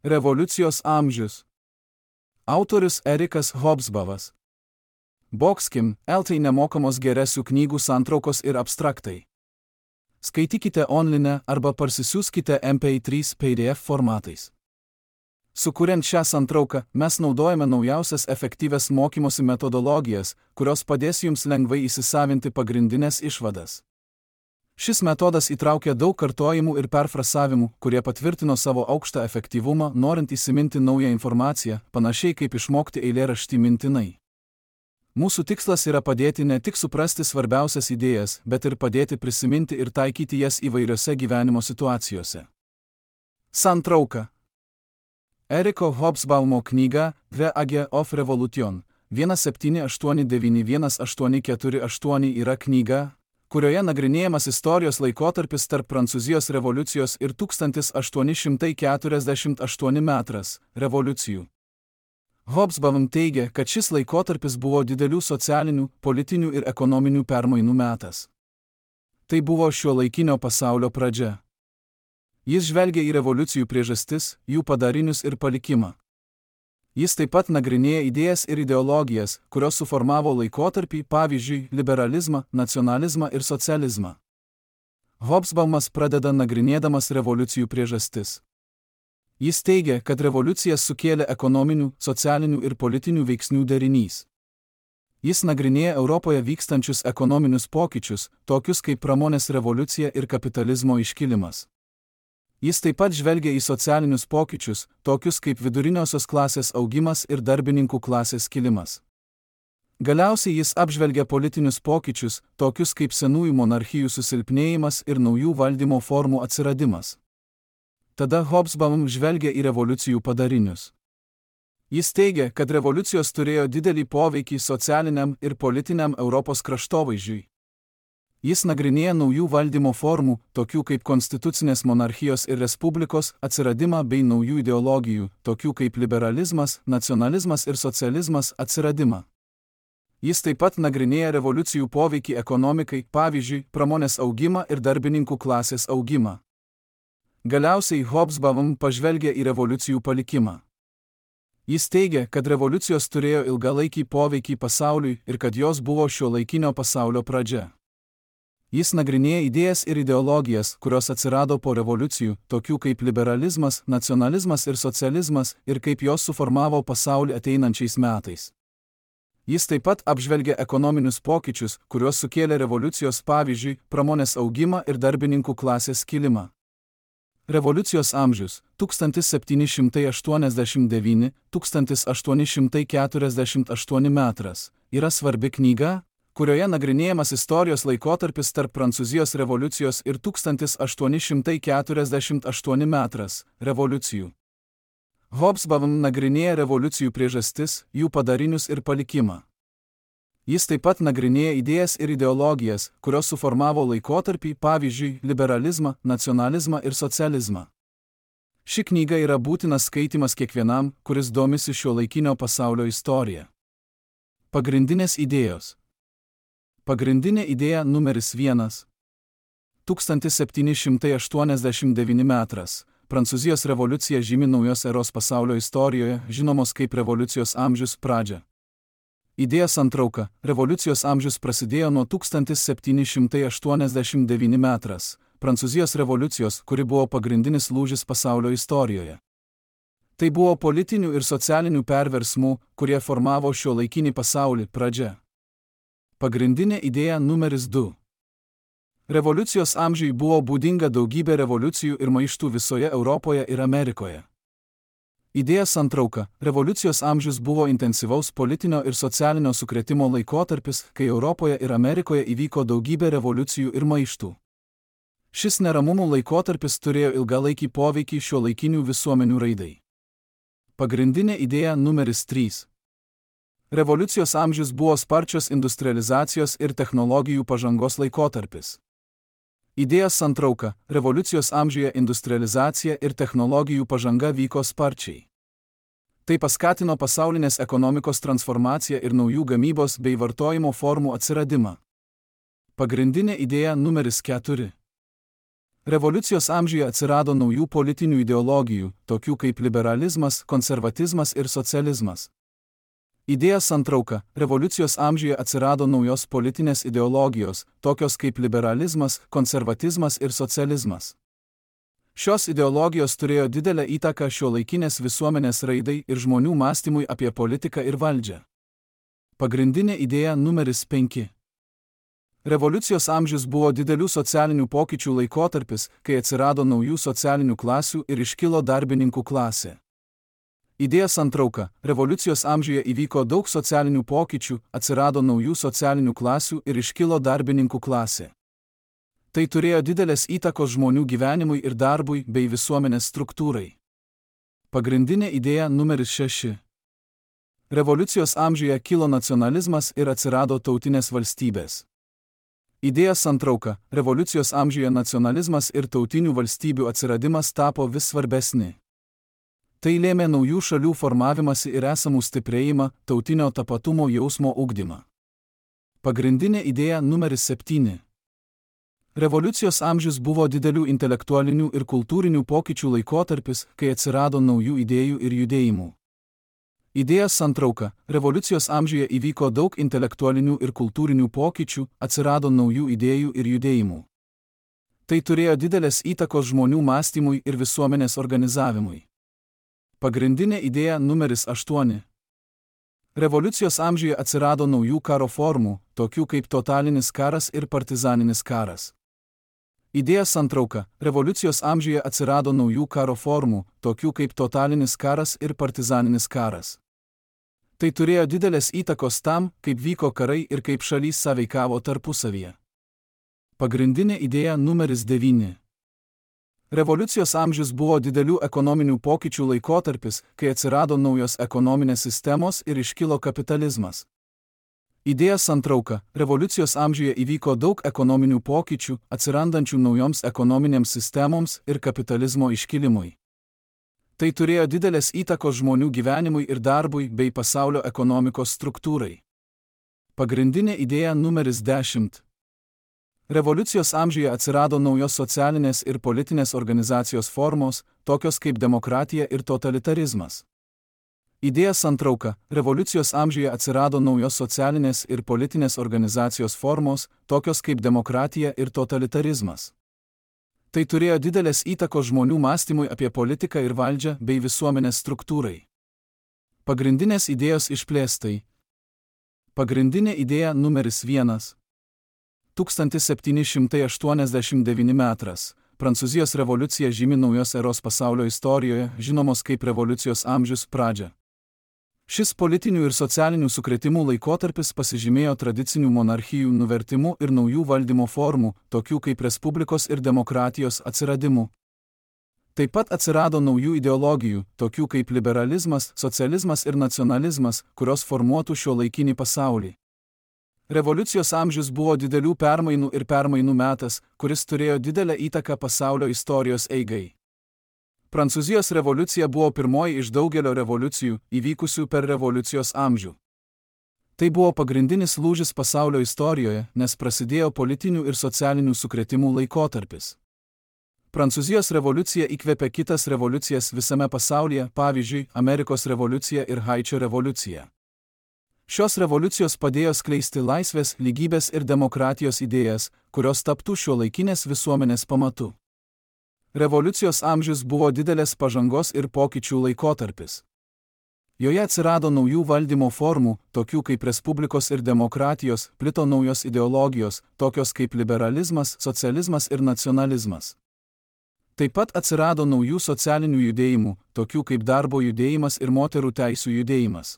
Revoliucijos amžius. Autorius Erikas Hobsbawmas. Boxkim, LT nemokamos geresių knygų santraukos ir abstraktai. Skaitykite online arba parsisiųskite MP3 PDF formatais. Sukuriant šią santrauką, mes naudojame naujausias efektyvias mokymosi metodologijas, kurios padės jums lengvai įsisavinti pagrindinės išvadas. Šis metodas įtraukia daug kartojimų ir perfrasavimų, kurie patvirtino savo aukštą efektyvumą, norint įsiminti naują informaciją, panašiai kaip išmokti eilėraštį mintinai. Mūsų tikslas yra padėti ne tik suprasti svarbiausias idėjas, bet ir padėti prisiminti ir taikyti jas įvairiose gyvenimo situacijose. Santrauka. Eriko Hobsbawmo knyga The Age of Revolution 1789-1848 yra knyga, kurioje nagrinėjamas istorijos laikotarpis tarp Prancūzijos revoliucijos ir 1848 metras revoliucijų. Hobsbawm teigia, kad šis laikotarpis buvo didelių socialinių, politinių ir ekonominių permainų metas. Tai buvo šiuolaikinio pasaulio pradžia. Jis žvelgia į revoliucijų priežastis, jų padarinius ir palikimą. Jis taip pat nagrinėja idėjas ir ideologijas, kurios suformavo laikotarpį, pavyzdžiui, liberalizmą, nacionalizmą ir socializmą. Hobsbawmas pradeda nagrinėdamas revoliucijų priežastis. Jis teigia, kad revoliucijas sukėlė ekonominių, socialinių ir politinių veiksnių derinys. Jis nagrinėja Europoje vykstančius ekonominius pokyčius, tokius kaip pramonės revoliucija ir kapitalizmo iškilimas. Jis taip pat žvelgia į socialinius pokyčius, tokius kaip viduriniosios klasės augimas ir darbininkų klasės kilimas. Galiausiai jis apžvelgia politinius pokyčius, tokius kaip senųjų monarchijų susilpnėjimas ir naujų valdymo formų atsiradimas. Tada Hobsbawm žvelgia į revoliucijų padarinius. Jis teigia, kad revoliucijos turėjo didelį poveikį socialiniam ir politiniam Europos kraštovaizdžiui. Jis nagrinėja naujų valdymo formų, tokių kaip konstitucinės monarchijos ir respublikos, atsiradimą bei naujų ideologijų, tokių kaip liberalizmas, nacionalizmas ir socializmas atsiradimą. Jis taip pat nagrinėja revoliucijų poveikį ekonomikai, pavyzdžiui, pramonės augimą ir darbininkų klasės augimą. Galiausiai Hobsbawm pažvelgia į revoliucijų palikimą. Jis teigia, kad revoliucijos turėjo ilgalaikį poveikį pasauliui ir kad jos buvo šiuolaikinio pasaulio pradžia. Jis nagrinėja idėjas ir ideologijas, kurios atsirado po revoliucijų, tokių kaip liberalizmas, nacionalizmas ir socializmas, ir kaip jos suformavo pasaulį ateinančiais metais. Jis taip pat apžvelgia ekonominius pokyčius, kuriuos sukėlė revoliucijos, pavyzdžiui, pramonės augimą ir darbininkų klasės kilimą. Revoliucijos amžius 1789-1848 metras yra svarbi knyga, kurioje nagrinėjamas istorijos laikotarpis tarp Prancūzijos revoliucijos ir 1848 metras revoliucijų. Hobsbawm nagrinėja revoliucijų priežastis, jų padarinius ir palikimą. Jis taip pat nagrinėja idėjas ir ideologijas, kurios suformavo laikotarpį, pavyzdžiui, liberalizmą, nacionalizmą ir socializmą. Ši knyga yra būtinas skaitimas kiekvienam, kuris domisi šiuolaikinio pasaulio istorija. Pagrindinės idėjos. Pagrindinė idėja numeris 1. 1789 metras. Prancūzijos revoliucija žymi naujos eros pasaulio istorijoje, žinomos kaip revoliucijos amžius pradžia. Idėja santrauka. Revoliucijos amžius prasidėjo nuo 1789 metras. Prancūzijos revoliucijos, kuri buvo pagrindinis lūžis pasaulio istorijoje. Tai buvo politinių ir socialinių perversmų, kurie formavo šiuolaikinį pasaulį pradžia. Pagrindinė idėja numeris 2. Revoliucijos amžiui buvo būdinga daugybė revoliucijų ir maištų visoje Europoje ir Amerikoje. Idėja santrauka. Revoliucijos amžius buvo intensyvaus politinio ir socialinio sukrėtimo laikotarpis, kai Europoje ir Amerikoje įvyko daugybė revoliucijų ir maištų. Šis neramumų laikotarpis turėjo ilgalaikį poveikį šiuolaikinių visuomenių raidai. Pagrindinė idėja numeris 3. Revoliucijos amžius buvo sparčios industrializacijos ir technologijų pažangos laikotarpis. Idėja santrauka. Revoliucijos amžiuje industrializacija ir technologijų pažanga vyko sparčiai. Tai paskatino pasaulinės ekonomikos transformaciją ir naujų gamybos bei vartojimo formų atsiradimą. Pagrindinė idėja numeris 4. Revoliucijos amžiuje atsirado naujų politinių ideologijų, tokių kaip liberalizmas, konservatizmas ir socializmas. Idėja santrauka. Revoliucijos amžiuje atsirado naujos politinės ideologijos, tokios kaip liberalizmas, konservatizmas ir socializmas. Šios ideologijos turėjo didelę įtaką šiuolaikinės visuomenės raidai ir žmonių mąstymui apie politiką ir valdžią. Pagrindinė idėja numeris 5. Revoliucijos amžius buvo didelių socialinių pokyčių laikotarpis, kai atsirado naujų socialinių klasių ir iškilo darbininkų klasė. Idėja santrauka. Revoliucijos amžiuje įvyko daug socialinių pokyčių, atsirado naujų socialinių klasių ir iškilo darbininkų klasė. Tai turėjo didelės įtakos žmonių gyvenimui ir darbui bei visuomenės struktūrai. Pagrindinė idėja numeris 6. Revoliucijos amžiuje kilo nacionalizmas ir atsirado tautinės valstybės. Idėja santrauka. Revoliucijos amžiuje nacionalizmas ir tautinių valstybių atsiradimas tapo vis svarbesni. Tai lėmė naujų šalių formavimąsi ir esamų stiprėjimą, tautinio tapatumo jausmo ugdymą. Pagrindinė idėja numeris 7. Revoliucijos amžius buvo didelių intelektualinių ir kultūrinių pokyčių laikotarpis, kai atsirado naujų idėjų ir judėjimų. Idėja santrauka. Revoliucijos amžiuje įvyko daug intelektualinių ir kultūrinių pokyčių, atsirado naujų idėjų ir judėjimų. Tai turėjo didelės įtakos žmonių mąstymui ir visuomenės organizavimui. Pagrindinė idėja numeris 8. Revoliucijos amžiuje atsirado naujų karo formų, tokių kaip totalinis karas ir partizaninis karas. Idėja santrauka. Revoliucijos amžiuje atsirado naujų karo formų, tokių kaip totalinis karas ir partizaninis karas. Tai turėjo didelės įtakos tam, kaip vyko karai ir kaip šalys sąveikavo tarpusavyje. Pagrindinė idėja numeris 9. Revoliucijos amžius buvo didelių ekonominių pokyčių laikotarpis, kai atsirado naujos ekonominės sistemos ir iškilo kapitalizmas. Idėja santrauka. Revoliucijos amžiuje įvyko daug ekonominių pokyčių, atsirandančių naujoms ekonominėms sistemoms ir kapitalizmo iškilimui. Tai turėjo didelės įtakos žmonių gyvenimui ir darbui bei pasaulio ekonomikos struktūrai. Pagrindinė idėja numeris 10. Revoliucijos amžiuje atsirado naujos socialinės ir politinės organizacijos formos, tokios kaip demokratija ir totalitarizmas. Idėja santrauka. Revoliucijos amžiuje atsirado naujos socialinės ir politinės organizacijos formos, tokios kaip demokratija ir totalitarizmas. Tai turėjo didelės įtakos žmonių mąstymui apie politiką ir valdžią bei visuomenės struktūrai. Pagrindinės idėjos išplėstai. Pagrindinė idėja numeris 1. 1789 metras. Prancūzijos revoliucija žymi naujos eros pasaulio istorijoje, žinomos kaip revoliucijos amžius pradžia. Šis politinių ir socialinių sukrėtimų laikotarpis pasižymėjo tradicinių monarchijų nuvertimu ir naujų valdymo formų, tokių kaip respublikos ir demokratijos atsiradimu. Taip pat atsirado naujų ideologijų, tokių kaip liberalizmas, socializmas ir nacionalizmas, kurios formuotų šiuolaikinį pasaulį. Revoliucijos amžius buvo didelių permainų ir permainų metas, kuris turėjo didelę įtaką pasaulio istorijos eigai. Prancūzijos revoliucija buvo pirmoji iš daugelio revoliucijų, įvykusių per revoliucijos amžių. Tai buvo pagrindinis lūžis pasaulio istorijoje, nes prasidėjo politinių ir socialinių sukrėtimų laikotarpis. Prancūzijos revoliucija įkvėpė kitas revoliucijas visame pasaulyje, pavyzdžiui, Amerikos revoliucija ir Haičio revoliucija. Šios revoliucijos padėjo skleisti laisvės, lygybės ir demokratijos idėjas, kurios taptų šiuolaikinės visuomenės pamatu. Revoliucijos amžius buvo didelės pažangos ir pokyčių laikotarpis. Joje atsirado naujų valdymo formų, tokių kaip respublikos ir demokratijos, plito naujos ideologijos, tokios kaip liberalizmas, socializmas ir nacionalizmas. Taip pat atsirado naujų socialinių judėjimų, tokių kaip darbo judėjimas ir moterų teisių judėjimas.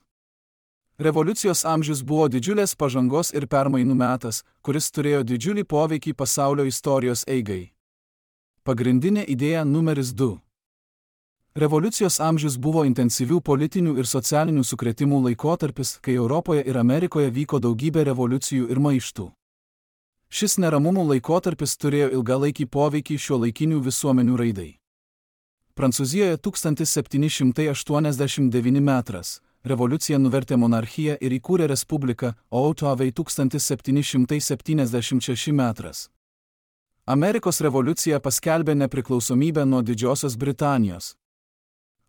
Revoliucijos amžius buvo didžiulės pažangos ir permainų metas, kuris turėjo didžiulį poveikį pasaulio istorijos eigai. Pagrindinė idėja numeris 2. Revoliucijos amžius buvo intensyvių politinių ir socialinių sukrėtimų laikotarpis, kai Europoje ir Amerikoje vyko daugybė revoliucijų ir maištų. Šis neramumų laikotarpis turėjo ilgalaikį poveikį šiuolaikinių visuomenių raidai. Prancūzijoje 1789 metras. Revoliucija nuvertė monarchiją ir įkūrė respubliką, o Ottavai 1776 metras. Amerikos revoliucija paskelbė nepriklausomybę nuo Didžiosios Britanijos.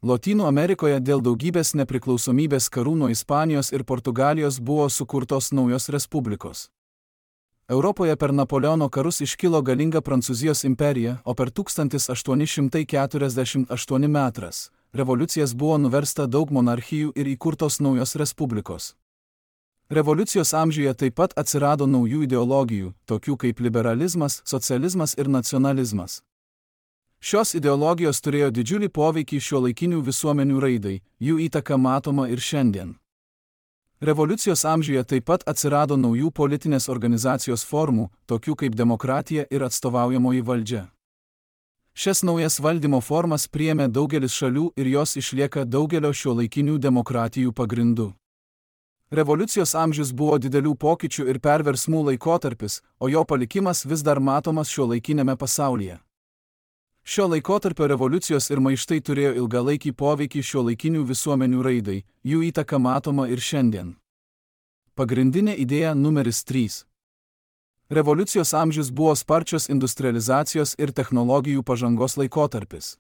Lotynų Amerikoje dėl daugybės nepriklausomybės karų nuo Ispanijos ir Portugalijos buvo sukurtos naujos respublikos. Europoje per Napoleono karus iškilo galinga Prancūzijos imperija, o per 1848 metras revoliucijas buvo nuversta daug monarchijų ir įkurtos naujos respublikos. Revoliucijos amžiuje taip pat atsirado naujų ideologijų, tokių kaip liberalizmas, socializmas ir nacionalizmas. Šios ideologijos turėjo didžiulį poveikį šiuolaikinių visuomenių raidai, jų įtaka matoma ir šiandien. Revoliucijos amžiuje taip pat atsirado naujų politinės organizacijos formų, tokių kaip demokratija ir atstovaujamoji valdžia. Šias naujas valdymo formas priėmė daugelis šalių ir jos išlieka daugelio šiuolaikinių demokratijų pagrindu. Revoliucijos amžius buvo didelių pokyčių ir perversmų laikotarpis, o jo palikimas vis dar matomas šiuolaikinėme pasaulyje. Šio laikotarpio revoliucijos ir maištai turėjo ilgalaikį poveikį šiuolaikinių visuomenių raidai, jų įtaka matoma ir šiandien. Pagrindinė idėja numeris 3. Revoliucijos amžius buvo sparčios industrializacijos ir technologijų pažangos laikotarpis.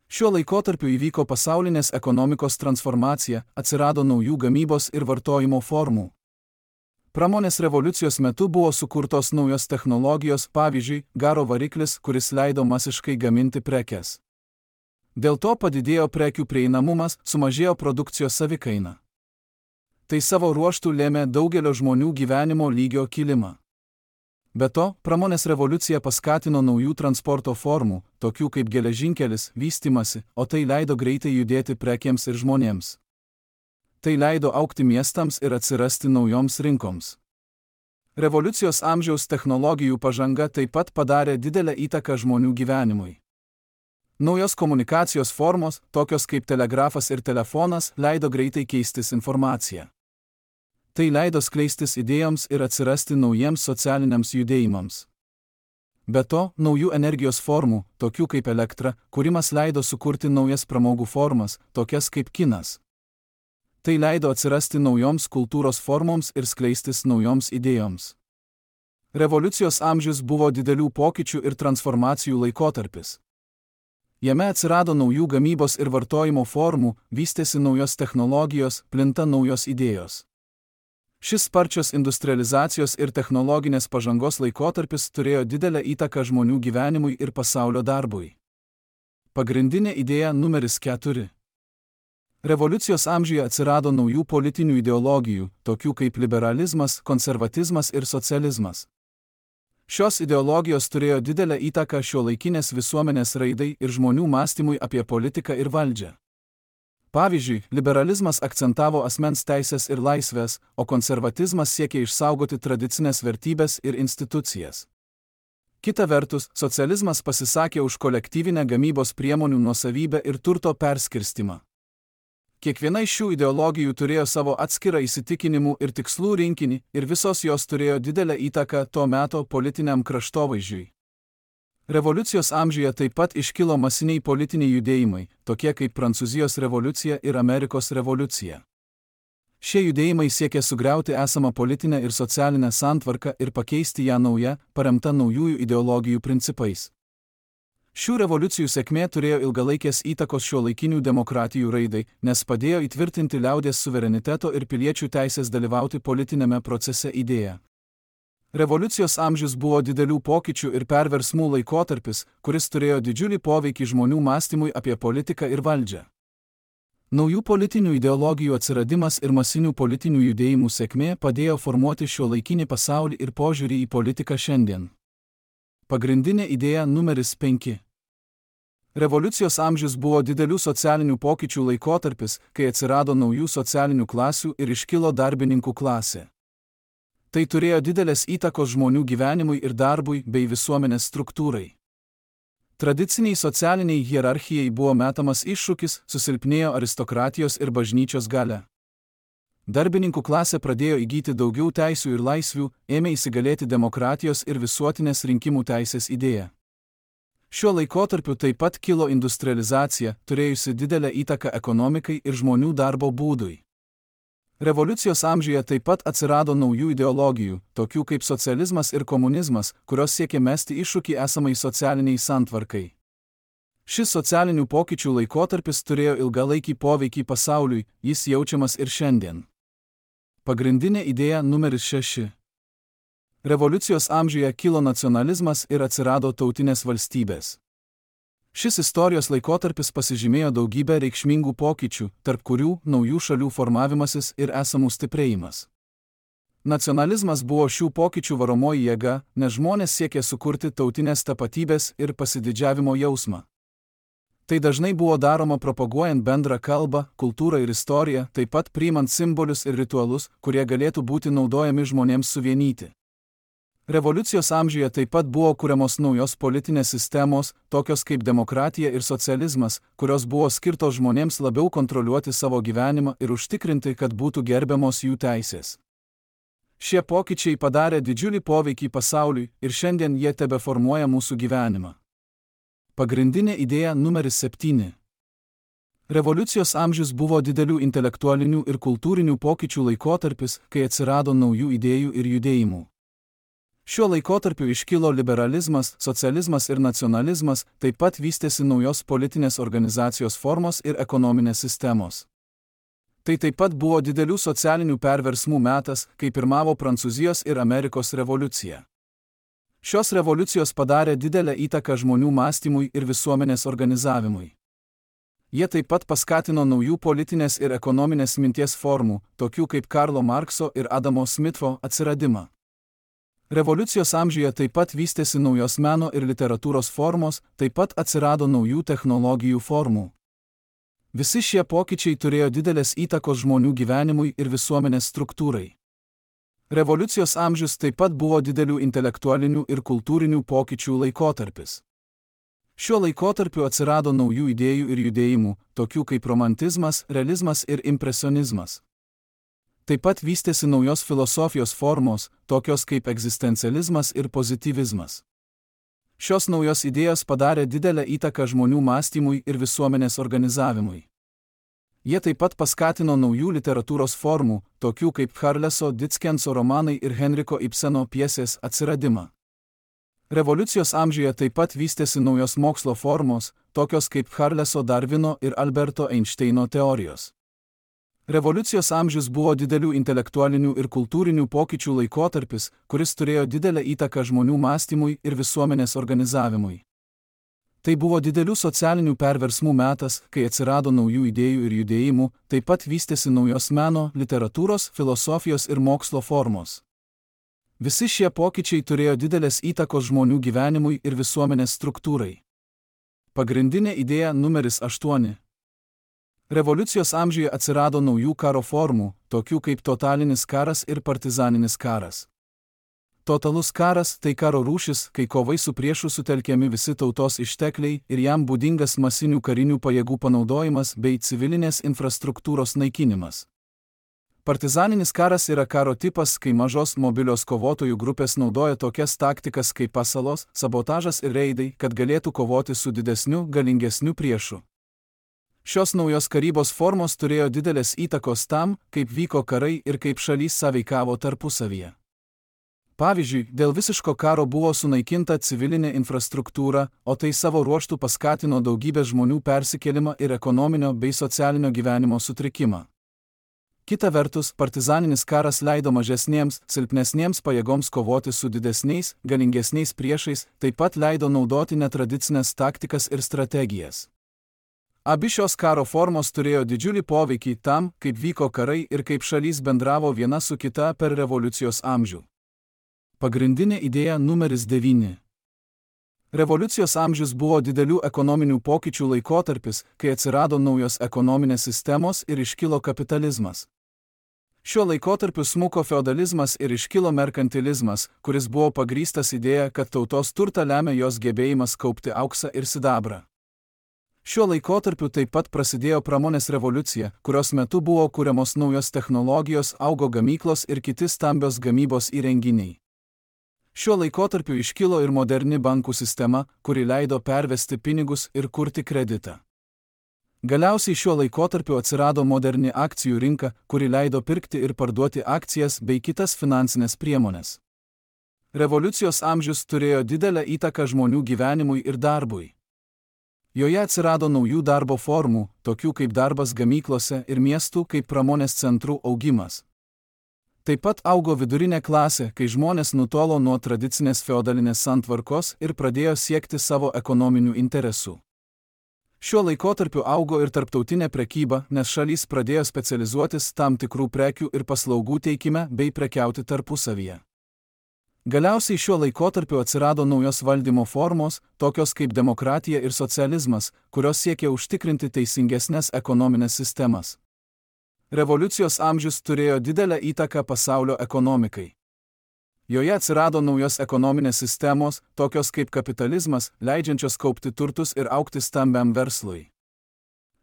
Šiuo laikotarpiu įvyko pasaulinės ekonomikos transformacija, atsirado naujų gamybos ir vartojimo formų. Pramonės revoliucijos metu buvo sukurtos naujos technologijos, pavyzdžiui, garo variklis, kuris leido masiškai gaminti prekes. Dėl to padidėjo prekių prieinamumas, sumažėjo produkcijos savikaina. Tai savo ruožtu lėmė daugelio žmonių gyvenimo lygio kilimą. Be to, pramonės revoliucija paskatino naujų transporto formų, tokių kaip geležinkelis, vystymasi, o tai leido greitai judėti prekėms ir žmonėms. Tai leido augti miestams ir atsirasti naujoms rinkoms. Revoliucijos amžiaus technologijų pažanga taip pat padarė didelę įtaką žmonių gyvenimui. Naujos komunikacijos formos, tokios kaip telegrafas ir telefonas, leido greitai keistis informaciją. Tai leido skleistis idėjoms ir atsirasti naujiems socialiniams judėjimams. Be to, naujų energijos formų, tokių kaip elektra, kūrimas leido sukurti naujas pramogų formas, tokias kaip kinas. Tai leido atsirasti naujoms kultūros formoms ir skleistis naujoms idėjoms. Revoliucijos amžius buvo didelių pokyčių ir transformacijų laikotarpis. Jame atsirado naujų gamybos ir vartojimo formų, vystėsi naujos technologijos, plinta naujos idėjos. Šis sparčios industrializacijos ir technologinės pažangos laikotarpis turėjo didelę įtaką žmonių gyvenimui ir pasaulio darbui. Pagrindinė idėja numeris 4. Revoliucijos amžiuje atsirado naujų politinių ideologijų, tokių kaip liberalizmas, konservatizmas ir socializmas. Šios ideologijos turėjo didelę įtaką šiuolaikinės visuomenės raidai ir žmonių mąstymui apie politiką ir valdžią. Pavyzdžiui, liberalizmas akcentavo asmens teisės ir laisvės, o konservatizmas siekė išsaugoti tradicinės vertybės ir institucijas. Kita vertus, socializmas pasisakė už kolektyvinę gamybos priemonių nuosavybę ir turto perskirstimą. Kiekviena iš šių ideologijų turėjo savo atskirą įsitikinimų ir tikslų rinkinį, ir visos jos turėjo didelę įtaką to meto politiniam kraštovaizdžiui. Revoliucijos amžiuje taip pat iškilo masiniai politiniai judėjimai, tokie kaip Prancūzijos revoliucija ir Amerikos revoliucija. Šie judėjimai siekė sugriauti esamą politinę ir socialinę santvarką ir pakeisti ją nauja, paremta naujųjų ideologijų principais. Šių revoliucijų sėkmė turėjo ilgalaikės įtakos šiuolaikinių demokratijų raidai, nes padėjo įtvirtinti liaudies suvereniteto ir piliečių teisės dalyvauti politinėme procese idėją. Revoliucijos amžius buvo didelių pokyčių ir perversmų laikotarpis, kuris turėjo didžiulį poveikį žmonių mąstymui apie politiką ir valdžią. Naujų politinių ideologijų atsiradimas ir masinių politinių judėjimų sėkmė padėjo formuoti šiuolaikinį pasaulį ir požiūrį į politiką šiandien. Pagrindinė idėja numeris 5. Revoliucijos amžius buvo didelių socialinių pokyčių laikotarpis, kai atsirado naujų socialinių klasių ir iškilo darbininkų klasė. Tai turėjo didelės įtakos žmonių gyvenimui ir darbui bei visuomenės struktūrai. Tradiciniai socialiniai hierarchijai buvo metamas iššūkis, susilpnėjo aristokratijos ir bažnyčios galia. Darbininkų klasė pradėjo įgyti daugiau teisių ir laisvių, ėmė įsigalėti demokratijos ir visuotinės rinkimų teisės idėja. Šiuo laikotarpiu taip pat kilo industrializacija, turėjusi didelę įtaką ekonomikai ir žmonių darbo būdui. Revoliucijos amžiuje taip pat atsirado naujų ideologijų, tokių kaip socializmas ir komunizmas, kurios siekė mesti iššūkį esamai socialiniai santvarkai. Šis socialinių pokyčių laikotarpis turėjo ilgalaikį poveikį pasauliui, jis jaučiamas ir šiandien. Pagrindinė idėja numeris 6. Revoliucijos amžiuje kilo nacionalizmas ir atsirado tautinės valstybės. Šis istorijos laikotarpis pasižymėjo daugybę reikšmingų pokyčių, tarp kurių naujų šalių formavimasis ir esamų stiprėjimas. Nacionalizmas buvo šių pokyčių varomoji jėga, nes žmonės siekė sukurti tautinės tapatybės ir pasididžiavimo jausmą. Tai dažnai buvo daroma propaguojant bendrą kalbą, kultūrą ir istoriją, taip pat priimant simbolius ir ritualus, kurie galėtų būti naudojami žmonėms suvienyti. Revoliucijos amžiuje taip pat buvo kuriamos naujos politinės sistemos, tokios kaip demokratija ir socializmas, kurios buvo skirtos žmonėms labiau kontroliuoti savo gyvenimą ir užtikrinti, kad būtų gerbiamos jų teisės. Šie pokyčiai padarė didžiulį poveikį pasauliui ir šiandien jie tebeformuoja mūsų gyvenimą. Pagrindinė idėja numeris 7. Revoliucijos amžius buvo didelių intelektualinių ir kultūrinių pokyčių laikotarpis, kai atsirado naujų idėjų ir judėjimų. Šiuo laikotarpiu iškilo liberalizmas, socializmas ir nacionalizmas, taip pat vystėsi naujos politinės organizacijos formos ir ekonominės sistemos. Tai taip pat buvo didelių socialinių perversmų metas, kai pirmavo Prancūzijos ir Amerikos revoliucija. Šios revoliucijos padarė didelę įtaką žmonių mąstymui ir visuomenės organizavimui. Jie taip pat paskatino naujų politinės ir ekonominės minties formų, tokių kaip Karlo Markso ir Adamo Smitho atsiradimą. Revoliucijos amžiuje taip pat vystėsi naujos meno ir literatūros formos, taip pat atsirado naujų technologijų formų. Visi šie pokyčiai turėjo didelės įtakos žmonių gyvenimui ir visuomenės struktūrai. Revoliucijos amžius taip pat buvo didelių intelektualinių ir kultūrinių pokyčių laikotarpis. Šiuo laikotarpiu atsirado naujų idėjų ir judėjimų, tokių kaip romantizmas, realizmas ir impresionizmas. Taip pat vystėsi naujos filosofijos formos, tokios kaip egzistencializmas ir pozityvizmas. Šios naujos idėjos padarė didelę įtaką žmonių mąstymui ir visuomenės organizavimui. Jie taip pat paskatino naujų literatūros formų, tokių kaip Charleso Dickenso romanai ir Henriko Ibseno pjesės atsiradimą. Revoliucijos amžiuje taip pat vystėsi naujos mokslo formos, tokios kaip Charleso Darvino ir Alberto Einšteino teorijos. Revoliucijos amžius buvo didelių intelektualinių ir kultūrinių pokyčių laikotarpis, kuris turėjo didelę įtaką žmonių mąstymui ir visuomenės organizavimui. Tai buvo didelių socialinių perversmų metas, kai atsirado naujų idėjų ir judėjimų, taip pat vystėsi naujos meno, literatūros, filosofijos ir mokslo formos. Visi šie pokyčiai turėjo didelės įtakos žmonių gyvenimui ir visuomenės struktūrai. Pagrindinė idėja numeris 8. Revoliucijos amžiuje atsirado naujų karo formų, tokių kaip totalinis karas ir partizaninis karas. Totalus karas – tai karo rūšis, kai kovai su priešu sutelkiami visi tautos ištekliai ir jam būdingas masinių karinių pajėgų panaudojimas bei civilinės infrastruktūros naikinimas. Partizaninis karas yra karo tipas, kai mažos mobilios kovotojų grupės naudoja tokias taktikas kaip pasalos, sabotažas ir reidai, kad galėtų kovoti su didesniu, galingesniu priešu. Šios naujos karybos formos turėjo didelės įtakos tam, kaip vyko karai ir kaip šalys sąveikavo tarpusavyje. Pavyzdžiui, dėl visiško karo buvo sunaikinta civilinė infrastruktūra, o tai savo ruožtu paskatino daugybę žmonių persikėlimą ir ekonominio bei socialinio gyvenimo sutrikimą. Kita vertus, partizaninis karas leido mažesniems, silpnesniems pajėgoms kovoti su didesniais, galingesniais priešais, taip pat leido naudoti netradicinės taktikas ir strategijas. Abi šios karo formos turėjo didžiulį poveikį tam, kaip vyko karai ir kaip šalys bendravo viena su kita per revoliucijos amžių. Pagrindinė idėja numeris 9. Revoliucijos amžius buvo didelių ekonominių pokyčių laikotarpis, kai atsirado naujos ekonominės sistemos ir iškilo kapitalizmas. Šiuo laikotarpiu smuko feodalizmas ir iškilo merkantilizmas, kuris buvo pagrįstas idėja, kad tautos turtą lemia jos gebėjimas kaupti auksą ir sidabrą. Šiuo laikotarpiu taip pat prasidėjo pramonės revoliucija, kurios metu buvo kuriamos naujos technologijos, augo gamyklos ir kiti stambios gamybos įrenginiai. Šiuo laikotarpiu iškilo ir moderni bankų sistema, kuri leido pervesti pinigus ir kurti kreditą. Galiausiai šiuo laikotarpiu atsirado moderni akcijų rinka, kuri leido pirkti ir parduoti akcijas bei kitas finansinės priemonės. Revoliucijos amžius turėjo didelę įtaką žmonių gyvenimui ir darbui. Joje atsirado naujų darbo formų, tokių kaip darbas gamyklose ir miestų kaip pramonės centrų augimas. Taip pat augo vidurinė klasė, kai žmonės nutolo nuo tradicinės feodalinės santvarkos ir pradėjo siekti savo ekonominių interesų. Šiuo laikotarpiu augo ir tarptautinė prekyba, nes šalys pradėjo specializuotis tam tikrų prekių ir paslaugų teikime bei prekiauti tarpusavyje. Galiausiai šiuo laikotarpiu atsirado naujos valdymo formos, tokios kaip demokratija ir socializmas, kurios siekė užtikrinti teisingesnės ekonominės sistemas. Revoliucijos amžius turėjo didelę įtaką pasaulio ekonomikai. Joje atsirado naujos ekonominės sistemos, tokios kaip kapitalizmas, leidžiančios kaupti turtus ir augti stambiam verslui.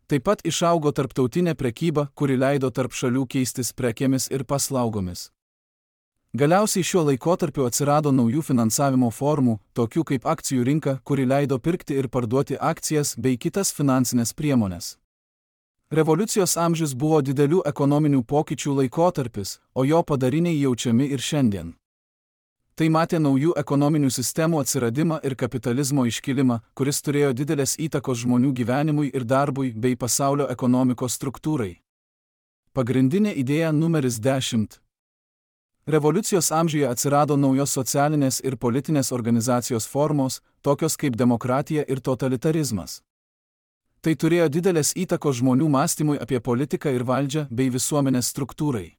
Taip pat išaugo tarptautinė prekyba, kuri leido tarp šalių keistis prekėmis ir paslaugomis. Galiausiai šiuo laikotarpiu atsirado naujų finansavimo formų, tokių kaip akcijų rinka, kuri leido pirkti ir parduoti akcijas bei kitas finansinės priemonės. Revoliucijos amžius buvo didelių ekonominių pokyčių laikotarpis, o jo padariniai jaučiami ir šiandien. Tai matė naujų ekonominių sistemų atsiradimą ir kapitalizmo iškilimą, kuris turėjo didelės įtakos žmonių gyvenimui ir darbui bei pasaulio ekonomikos struktūrai. Pagrindinė idėja numeris 10. Revoliucijos amžiuje atsirado naujos socialinės ir politinės organizacijos formos, tokios kaip demokratija ir totalitarizmas. Tai turėjo didelės įtakos žmonių mąstymui apie politiką ir valdžią bei visuomenės struktūrai.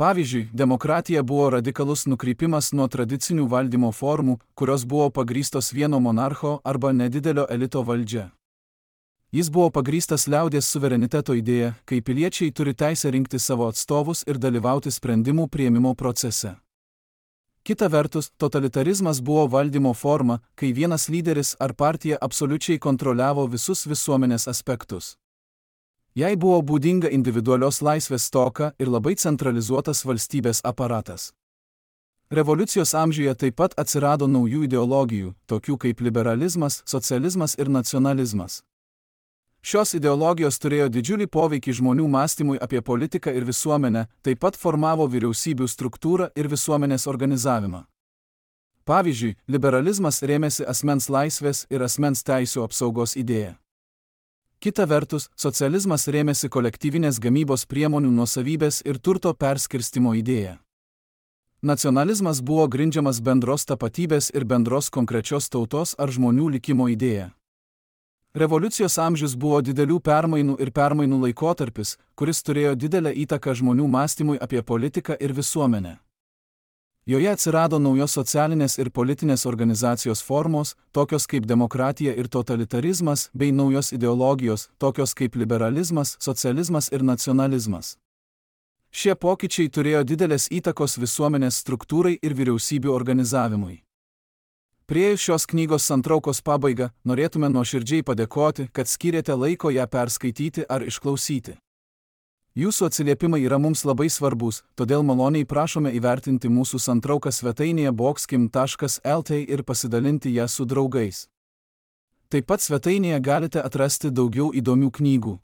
Pavyzdžiui, demokratija buvo radikalus nukrypimas nuo tradicinių valdymo formų, kurios buvo pagrįstos vieno monarcho arba nedidelio elito valdžia. Jis buvo pagrįstas liaudies suvereniteto idėja, kai piliečiai turi teisę rinkti savo atstovus ir dalyvauti sprendimų priėmimo procese. Kita vertus, totalitarizmas buvo valdymo forma, kai vienas lyderis ar partija absoliučiai kontroliavo visus visuomenės aspektus. Jai buvo būdinga individualios laisvės stoka ir labai centralizuotas valstybės aparatas. Revoliucijos amžiuje taip pat atsirado naujų ideologijų, tokių kaip liberalizmas, socializmas ir nacionalizmas. Šios ideologijos turėjo didžiulį poveikį žmonių mąstymui apie politiką ir visuomenę, taip pat formavo vyriausybių struktūrą ir visuomenės organizavimą. Pavyzdžiui, liberalizmas rėmėsi asmens laisvės ir asmens teisių apsaugos idėja. Kita vertus, socializmas rėmėsi kolektyvinės gamybos priemonių nuosavybės ir turto perskirstimo idėja. Nacionalizmas buvo grindžiamas bendros tapatybės ir bendros konkrečios tautos ar žmonių likimo idėja. Revoliucijos amžius buvo didelių permainų ir permainų laikotarpis, kuris turėjo didelę įtaką žmonių mąstymui apie politiką ir visuomenę. Joje atsirado naujos socialinės ir politinės organizacijos formos, tokios kaip demokratija ir totalitarizmas, bei naujos ideologijos, tokios kaip liberalizmas, socializmas ir nacionalizmas. Šie pokyčiai turėjo didelės įtakos visuomenės struktūrai ir vyriausybių organizavimui. Priėjus šios knygos santraukos pabaigą, norėtume nuoširdžiai padėkoti, kad skyrėte laiko ją perskaityti ar išklausyti. Jūsų atsiliepimai yra mums labai svarbus, todėl maloniai prašome įvertinti mūsų santrauką svetainėje boxkim.lt ir pasidalinti ją su draugais. Taip pat svetainėje galite atrasti daugiau įdomių knygų.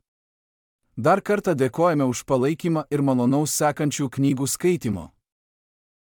Dar kartą dėkojame už palaikymą ir malonaus sekančių knygų skaitimo.